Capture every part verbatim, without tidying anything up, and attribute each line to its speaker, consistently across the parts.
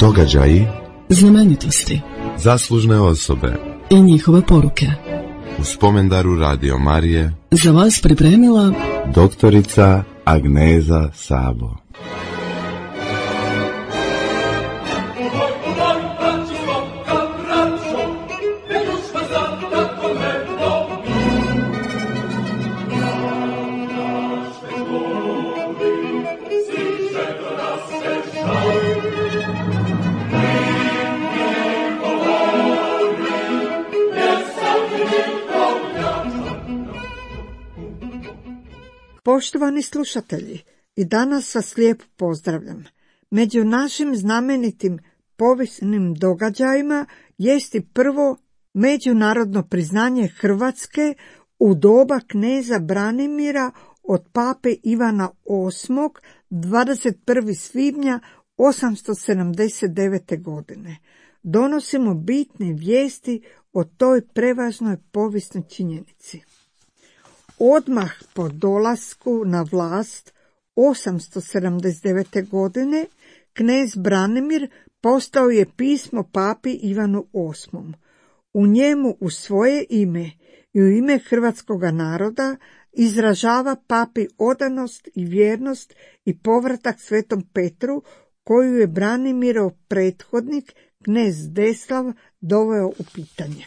Speaker 1: Događaji,
Speaker 2: znamenitosti,
Speaker 1: zaslužne osobe
Speaker 2: i njihove poruke.
Speaker 1: U spomendaru Radio Marije
Speaker 2: za vas pripremila
Speaker 1: doktorica Agneza Sabo.
Speaker 3: Poštovani slušatelji, i danas vas lijepo pozdravljam. Među našim znamenitim povijesnim događajima jest i prvo međunarodno priznanje Hrvatske u doba kneza Branimira od pape Ivana osmog dvadeset prvog svibnja osamsto sedamdeset devete. godine. Donosimo bitne vijesti o toj prevažnoj povijesnoj činjenici. Odmah po dolasku na vlast osamsto sedamdeset devete. godine knez Branimir postao je pismo papi Ivanu osmom. U njemu u svoje ime i u ime hrvatskoga naroda izražava papi odanost i vjernost i povratak svetom Petru koju je Branimirov prethodnik knez Deslav doveo u pitanje.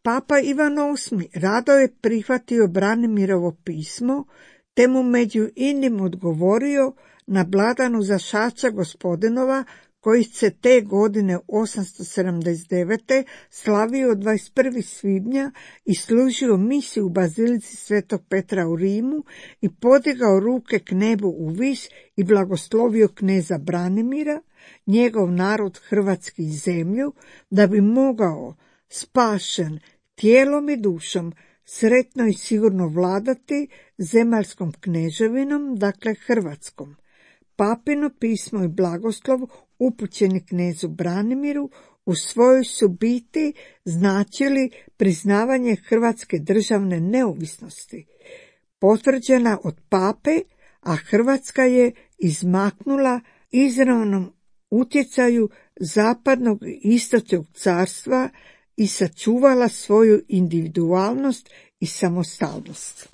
Speaker 3: Papa Ivan osmi rado je prihvatio Branimirovo pismo, te mu među inim odgovorio na blagdanu Zašaća Gospodinova, koji se te godine osamsto sedamdeset devete. slavio dvadeset prvog svibnja i služio misiju u bazilici svetog Petra u Rimu i podigao ruke k nebu u vis i blagoslovio kneza Branimira, njegov narod hrvatski i zemlju, da bi mogao spašen tijelom i dušom sretno i sigurno vladati zemaljskom kneževinom, dakle Hrvatskom. Papino pismo i blagoslov upućeni knezu Branimiru u svojoj su biti značili priznavanje hrvatske državne neovisnosti, potvrđena od pape, a Hrvatska je izmaknula izravnom utjecaju zapadnog i istočnog carstva i sačuvala svoju individualnost i samostalnost.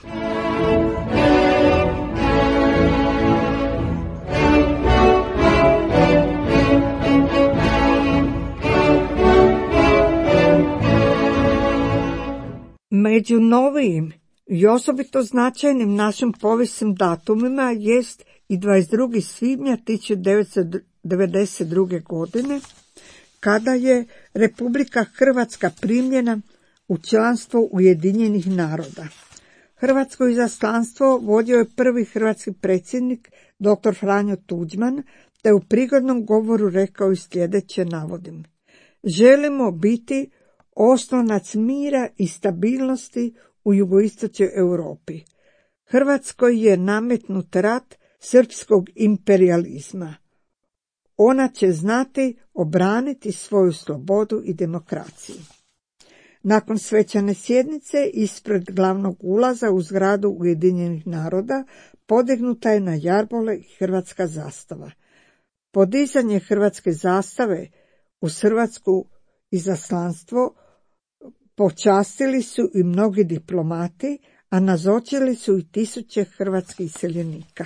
Speaker 3: Među novijim i osobito značajnim našim povijesnim datumima jest i dvadeset drugog svibnja tisuću devetsto devedeset druge. godine, kada je Republika Hrvatska primljena u članstvo Ujedinjenih naroda. Hrvatsko izaslanstvo vodio je prvi hrvatski predsjednik doktor Franjo Tuđman, te u prigodnom govoru rekao i sljedeće, navodim: želimo biti oslonac mira i stabilnosti u jugoistočnoj Europi. Hrvatskoj je nametnut rat srpskog imperijalizma. Ona će znati obraniti svoju slobodu i demokraciju. Nakon svečane sjednice ispred glavnog ulaza u zgradu Ujedinjenih naroda podignuta je na jarbole hrvatska zastava. Podizanje hrvatske zastave uz hrvatsku izaslanstvo počastili su i mnogi diplomati, a nazočili su i tisuće hrvatskih iseljenika.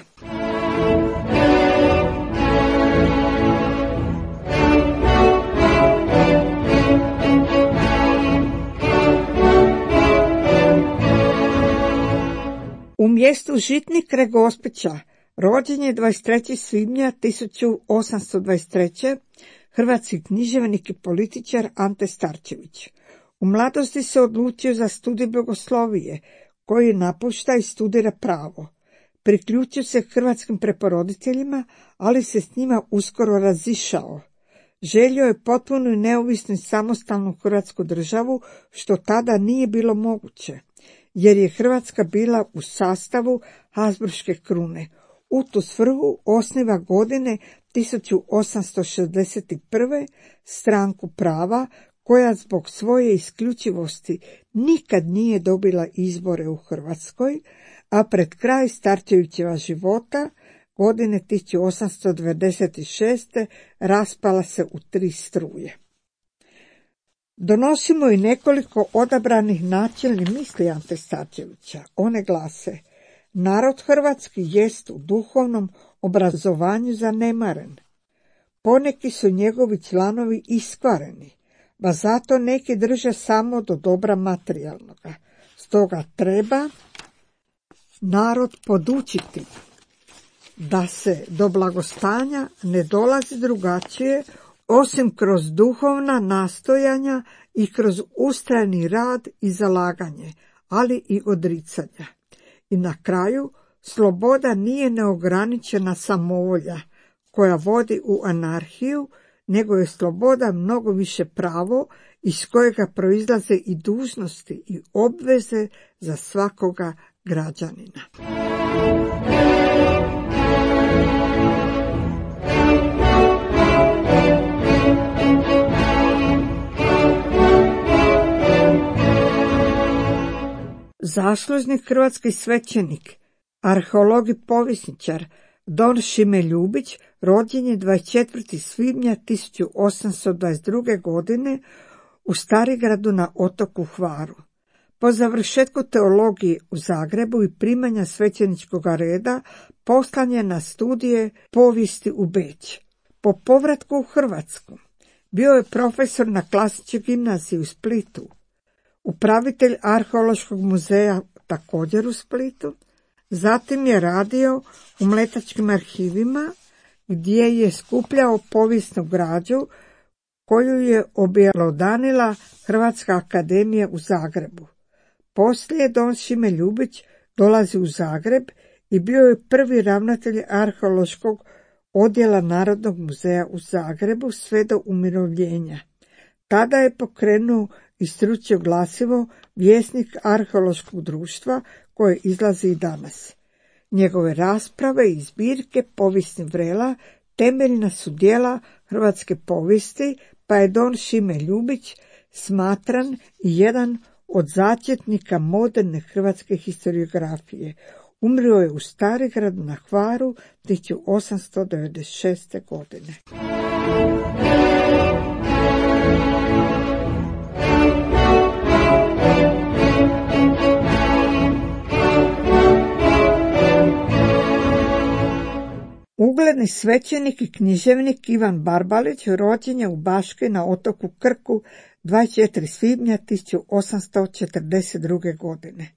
Speaker 3: U mjestu Žitnik kraj Gospića rođen je dvadeset trećeg svibnja tisuću osamsto dvadeset treće. hrvatski književnik i političar Ante Starčević. U mladosti se odlučio za studij bogoslovije, koji napušta i studira pravo. Priključio se hrvatskim preporoditeljima, ali se s njima uskoro razišao. Želio je potpunu i neovisnu i samostalnu hrvatsku državu, što tada nije bilo moguće, jer je Hrvatska bila u sastavu Habsburške krune. U tu svrhu osniva godine tisuću osamsto šezdeset prve. stranku prava, koja zbog svoje isključivosti nikad nije dobila izbore u Hrvatskoj, a pred kraj Starčevićeva života godine tisuću osamsto devedeset šeste. raspala se u tri struje. Donosimo i nekoliko odabranih načelnih misli Ante Starčevića. One glase: narod hrvatski jest u duhovnom obrazovanju zanemaren. Poneki su njegovi članovi iskvareni, pa zato neki drže samo do dobra materijalnoga. Stoga treba narod podučiti da se do blagostanja ne dolazi drugačije osim kroz duhovna nastojanja i kroz ustrajni rad i zalaganje, ali i odricanja. I na kraju, sloboda nije neograničena samovolja koja vodi u anarhiju, nego je sloboda mnogo više pravo iz kojega proizlaze i dužnosti i obveze za svakoga građanina. Zaslužni hrvatski svećenik, arheolog i povjesničar don Šime Ljubić rođen je dvadeset četvrtog svibnja tisuću osamsto dvadeset druge. godine u Starigradu na otoku Hvaru. Po završetku teologije u Zagrebu i primanja svećeničkog reda poslan je na studije povijesti u Beč. Po povratku u Hrvatsku bio je profesor na klasičnoj gimnaziji u Splitu, upravitelj arheološkog muzeja također u Splitu. Zatim je radio u Mletačkim arhivima gdje je skupljao povijesnu građu koju je objelodanila Hrvatska akademija u Zagrebu. Poslije don Šime Ljubić dolazi u Zagreb i bio je prvi ravnatelj arheološkog odjela Narodnog muzeja u Zagrebu sve do umirovljenja. Tada je pokrenuo i stručio glasivo Vjesnik arheološkog društva koje izlazi i danas. Njegove rasprave i zbirke povijesnih vrela temeljna su djela hrvatske povijesti, pa je don Šime Ljubić smatran i jedan od začetnika moderne hrvatske historiografije. Umrio je u Starigradu na Hvaru tisuću osamsto devedeset šeste. godine. Ugledni svećenik i književnik Ivan Barbalić rođen je u Baški na otoku Krku dvadeset četvrtog svibnja tisuću osamsto četrdeset druge. godine.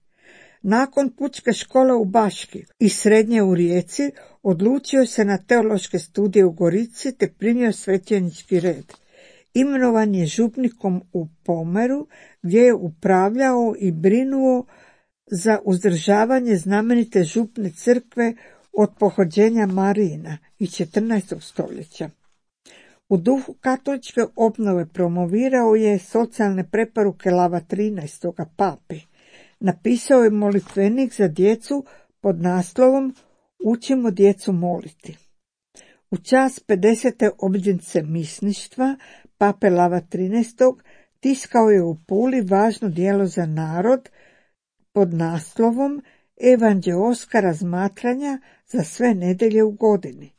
Speaker 3: Nakon pučke škole u Baški i srednje u Rijeci odlučio se na teološke studije u Gorici te primio svećenički red. Imenovan je župnikom u Pomeru gdje je upravljao i brinuo za uzdržavanje znamenite župne crkve od pohođenja Marijina iz četrnaestog. stoljeća. U duhu katoličke obnove promovirao je socijalne preporuke Lava trinaestog. papi. Napisao je molitvenik za djecu pod naslovom Učimo djecu moliti. U čast pedesete obljetnice misništva pape Lava trinaestog. tiskao je u Puli važno djelo za narod pod naslovom Evanđeoska razmatranja za sve nedjelje u godini.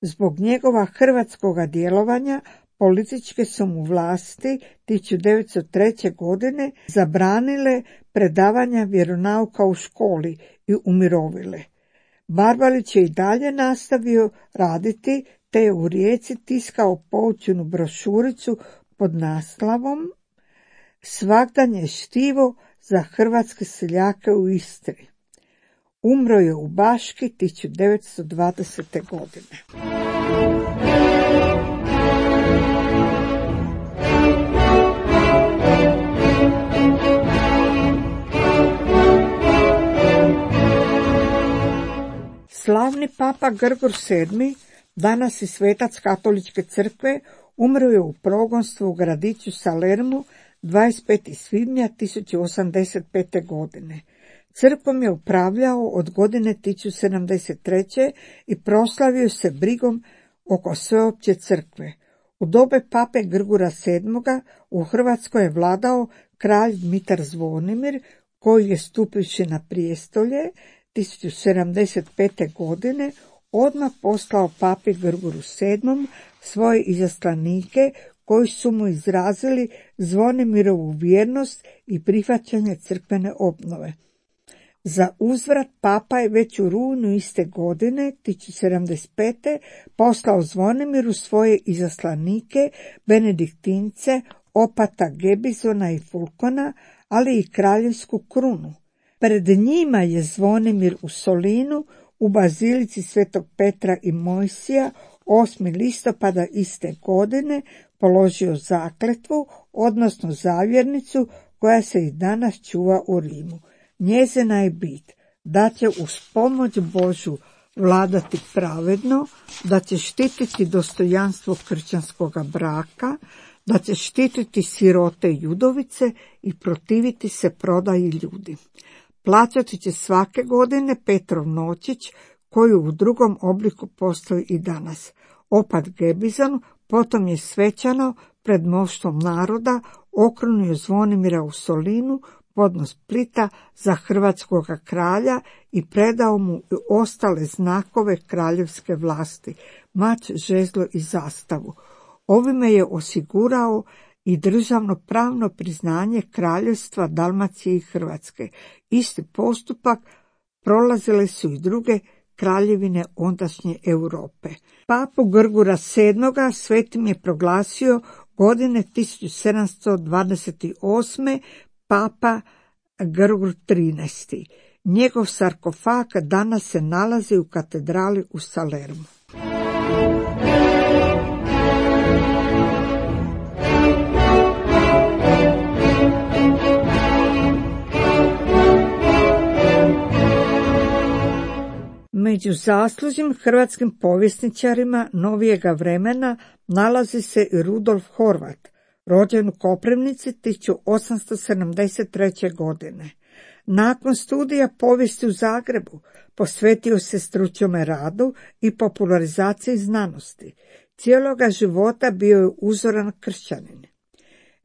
Speaker 3: Zbog njegova hrvatskoga djelovanja političke su mu vlasti tisuću devetsto treće. godine zabranile predavanja vjeronauka u školi i umirovile. Barbalić je i dalje nastavio raditi te je u Rijeci tiskao poučenu brošuricu pod naslovom Svagdanje štivo za hrvatske seljake u Istri. Umro je u Baški tisuću devetsto dvadesete. godine. Slavni papa Grgur sedmi, danas i svetac katoličke crkve, umro je u progonstvu u gradiću Salermu dvadeset petog svibnja tisuću osamdeset pete. godine. Crkvom je upravljao od godine tisuću sedamdeset treće. i proslavio se brigom oko sveopće crkve. U dobe pape Grgura sedmoga. u Hrvatskoj je vladao kralj Dmitar Zvonimir, koji je stupivši na prijestolje tisuću sedamdeset pete. godine odmah poslao papi Grguru sedmom svoje izaslanike koji su mu izrazili Zvonimirovu vjernost i prihvaćanje crkvene obnove. Za uzvrat papa je već u rujnu iste godine, tisuću sedamdeset pete poslao Zvonimiru svoje izaslanike, benediktince, opata Gebizona i Fulkona, ali i kraljevsku krunu. Pred njima je Zvonimir u Solinu, u bazilici Svetog Petra i Mojsija, osmog listopada iste godine položio zakletvu, odnosno zavjernicu koja se i danas čuva u Rimu. Njezina je bit da će uz pomoć Božju vladati pravedno, da će štititi dostojanstvo kršćanskoga braka, da će štititi sirote i udovice i protiviti se prodaji ljudi. Plaćati će svake godine Petrov noćić, koji u drugom obliku postoji i danas. Opat Gebizon potom je svečano pred mnoštvom naroda okrunio Zvonimira u Solinu, podnos Splita za hrvatskoga kralja i predao mu i ostale znakove kraljevske vlasti, mač, žezlo i zastavu. Ovime je osigurao i državno pravno priznanje kraljevstva Dalmacije i Hrvatske. Isti postupak prolazile su i druge kraljevine ondašnje Europe. Papu Grgura sedmoga svetim je proglasio godine tisuću sedamsto dvadeset osme papa Grgur trinaesti. Njegov sarkofag danas se nalazi u katedrali u Salermu. Među zaslužnim hrvatskim povjesničarima novijega vremena nalazi se i Rudolf Horvat, rođen u Koprivnici tisuću osamsto sedamdeset treće. godine. Nakon studija povijesti u Zagrebu posvetio se stručnome radu i popularizaciji znanosti. Cijeloga života bio je uzoran kršćanin.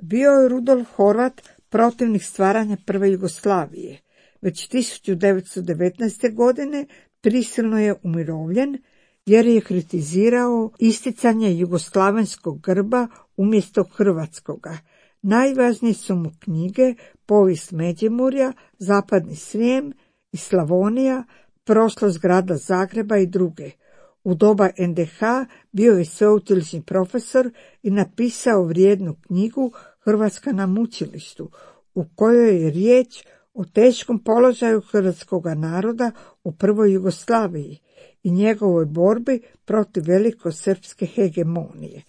Speaker 3: Bio je Rudolf Horvat protivnik stvaranja prve Jugoslavije. Već tisuću devetsto devetnaeste. godine prisilno je umirovljen jer je kritizirao isticanje jugoslavenskog grba umjesto hrvatskoga. Najvažnije su mu knjige Povijest Međimurja, Zapadni Srijem i Slavonija, Prošlost grada Zagreba i druge. U doba en de ha bio je sveučilišni profesor i napisao vrijednu knjigu Hrvatska na mučilištu, u kojoj je riječ o teškom položaju hrvatskoga naroda u prvoj Jugoslaviji i njegovoj borbi protiv velikosrpske hegemonije.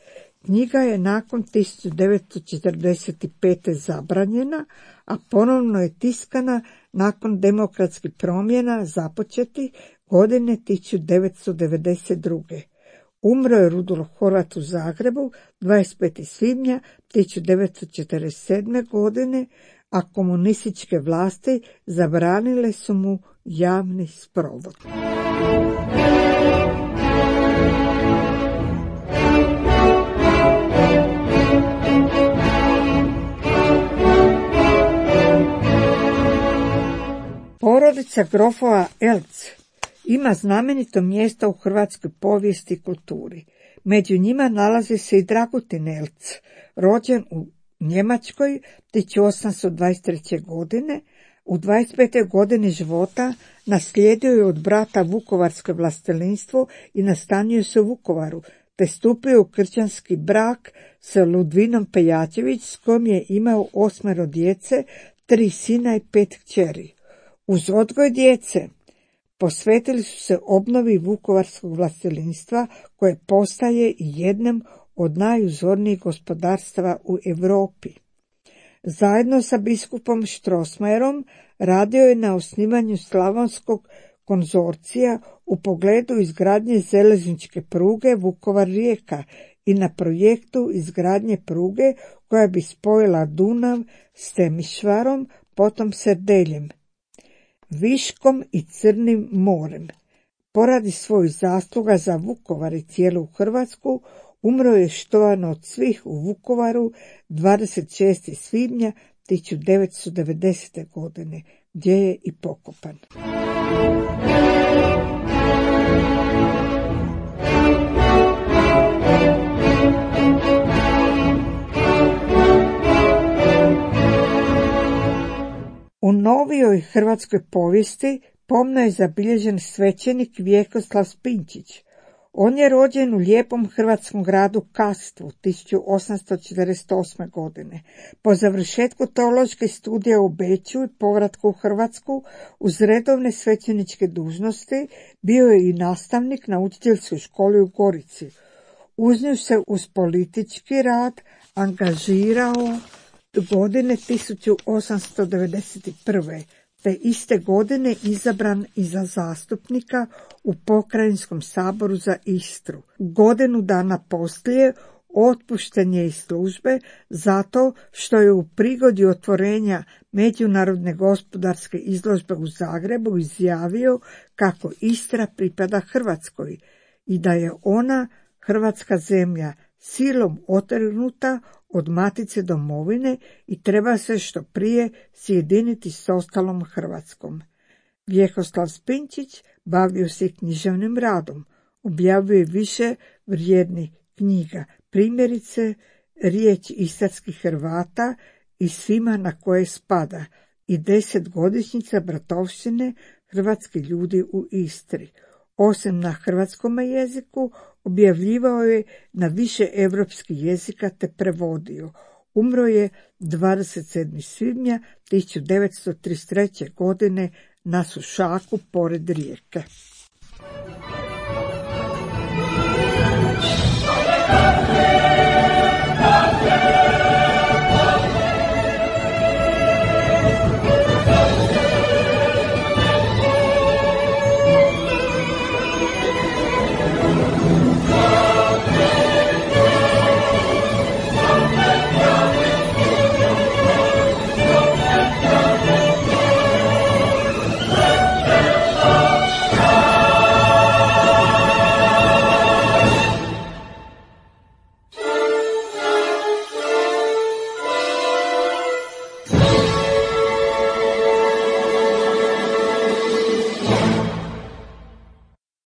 Speaker 3: Knjiga je nakon tisuću devetsto četrdeset pete. zabranjena, a ponovno je tiskana nakon demokratskih promjena započeti godine tisuću devetsto devedeset druge. Umro je Rudolf Horvat u Zagrebu dvadeset petog svibnja tisuću devetsto četrdeset sedme. godine, a komunističke vlasti zabranile su mu javni sprovod. Porodica grofova Eltz ima znamenito mjesto u hrvatskoj povijesti i kulturi. Među njima nalazi se i Dragutin Eltz, rođen u Njemačkoj tisuću osamsto dvadeset treće. godine. U dvadeset petoj. godini života naslijedio je od brata vukovarsko vlastelinstvo i nastanio se u Vukovaru, te stupio u kršćanski brak sa Ludvinom Pejačević, s kojom je imao osmero djece, tri sina i pet kćeri. Uz odgoj djece posvetili su se obnovi vukovarskog vlastelinstva, koje postaje i jednom od najuzornijih gospodarstava u Europi. Zajedno sa biskupom Strossmayerom radio je na osnivanju Slavonskog konzorcija u pogledu izgradnje željezničke pruge Vukovar-Rijeka i na projektu izgradnje pruge koja bi spojila Dunav s Temišvarom, potom Serdeljem, Viškom i Crnim morem. Poradi svojih zasluga za Vukovar i cijelu Hrvatsku umro je štovan od svih u Vukovaru dvadeset šestog svibnja tisuću devetsto devedesete. godine, gdje je i pokopan. hrvatskoj povijesti pomno je zabilježen svećenik Vjekoslav Spinčić. On je rođen u lijepom hrvatskom gradu Kastvu tisuću osamsto četrdeset osme. godine. Po završetku teoloških studija u Beču i povratku u Hrvatsku uz redovne svećeničke dužnosti bio je i nastavnik na učiteljskoj školi u Gorici. Uz nju se uz politički rad angažirao godine tisuću osamsto devedeset prve. te iste godine izabran i za zastupnika u Pokrajinskom saboru za Istru. Godinu dana poslije otpušten je iz službe zato što je u prigodi otvorenja Međunarodne gospodarske izložbe u Zagrebu izjavio kako Istra pripada Hrvatskoj i da je ona, hrvatska zemlja, silom otrgnuta od matice domovine i treba se što prije sjediniti s ostalom Hrvatskom. Vjekoslav Spinčić bavio se književnim radom, objavio više vrijednih knjiga, primjerice Riječ istarskih Hrvata i Svima na koje spada i desetgodišnjica bratovštine hrvatskih ljudi u Istri. Osim na hrvatskom jeziku, objavljivao je na više europskih jezika te prevodio. Umro je dvadeset sedmog svibnja tisuću devetsto trideset treće. godine na Sušaku pored Rijeke.